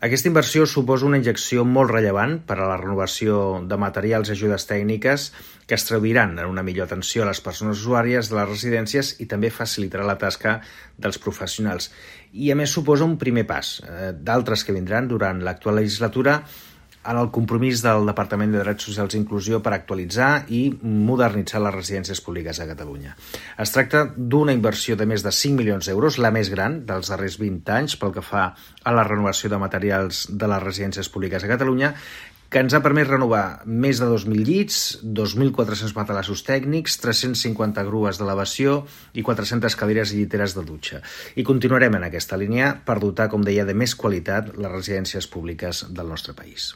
Aquesta inversió suposa una injecció molt rellevant per a la renovació de materials i ajudes tècniques que es traduiran en una millor atenció a les persones usuàries de les residències i també facilitarà la tasca dels professionals. I a més suposa un primer pas d'altres que vindran durant l'actual legislatura en el compromís del Departament de Drets Socials i Inclusió per actualitzar i modernitzar les residències públiques a Catalunya. Es tracta d'una inversió de més de 5 milions d'euros, la més gran dels darrers 20 anys pel que fa a la renovació de materials de les residències públiques a Catalunya, que ens ha permès renovar més de 2.000 llits, 2.400 matalassos tècnics, 350 grues d'elevació i 400 cadires i lliteres de dutxa. I continuarem en aquesta línia per dotar, com deia, de més qualitat les residències públiques del nostre país.